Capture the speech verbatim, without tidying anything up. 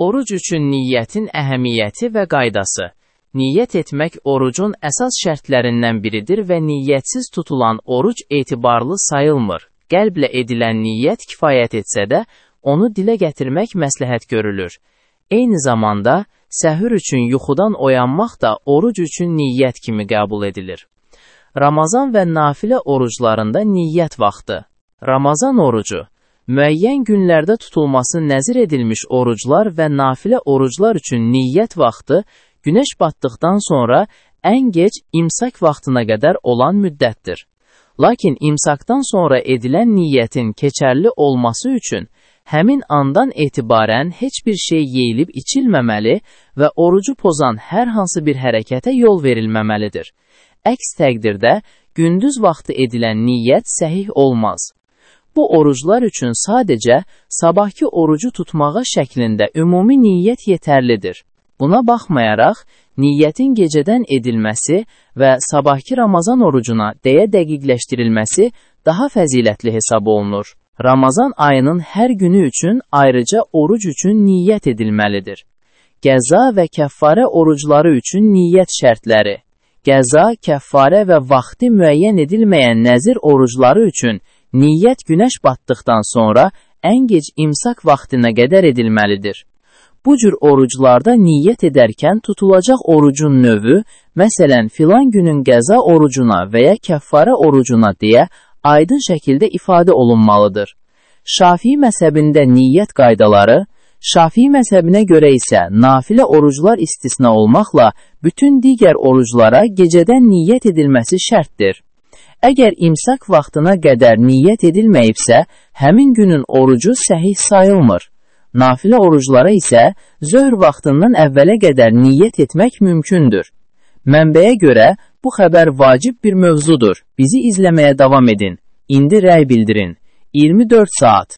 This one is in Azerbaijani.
Oruc üçün niyyətin əhəmiyyəti və qaydası. Niyyət etmək orucun əsas şərtlərindən biridir və niyyətsiz tutulan oruc etibarlı sayılmır. Qəlblə edilən niyyət kifayət etsə də, onu dilə gətirmək məsləhət görülür. Eyni zamanda, səhür üçün yuxudan oyanmaq da oruc üçün niyyət kimi qəbul edilir. Ramazan və nafilə oruclarında niyyət vaxtı. Ramazan orucu, müəyyən günlərdə tutulması nəzir edilmiş oruclar və nafilə oruclar üçün niyyət vaxtı, günəş batdıqdan sonra ən gec imsak vaxtına qədər olan müddətdir. Lakin imsakdan sonra edilən niyyətin keçərli olması üçün, həmin andan etibarən heç bir şey yeyilib içilməməli və orucu pozan hər hansı bir hərəkətə yol verilməməlidir. Əks təqdirdə, gündüz vaxtı edilən niyyət səhih olmaz. Bu oruclar üçün sadəcə sabahki orucu tutmağa şəklində ümumi niyyət yetərlidir. Buna baxmayaraq, niyyətin gecədən edilməsi və sabahki Ramazan orucuna deyə dəqiqləşdirilməsi daha fəzilətli hesab olunur. Ramazan ayının hər günü üçün ayrıca oruc üçün niyyət edilməlidir. Qəza və kəffarə orucları üçün niyyət şərtləri. Qəza, kəffarə və vaxtı müəyyən edilməyən nəzir orucları üçün niyyət günəş batdıqdan sonra ən gec imsak vaxtına qədər edilməlidir. Bu cür oruclarda niyyət edərkən tutulacaq orucun növü, məsələn, filan günün qəza orucuna və ya kəffarə orucuna deyə aydın şəkildə ifadə olunmalıdır. Şafii məzhəbində niyyət qaydaları, Şafii məzhəbinə görə isə nafilə oruclar istisna olmaqla bütün digər oruclara gecədən niyyət edilməsi şərtdir. Əgər imsak vaxtına qədər niyyət edilməyibsə, həmin günün orucu səhih sayılmır. Nafilə oruclara isə zöhr vaxtından əvvələ qədər niyyət etmək mümkündür. Mənbəyə görə bu xəbər vacib bir mövzudur. Bizi izləməyə davam edin. İndi rəy bildirin. iyirmi dörd saat.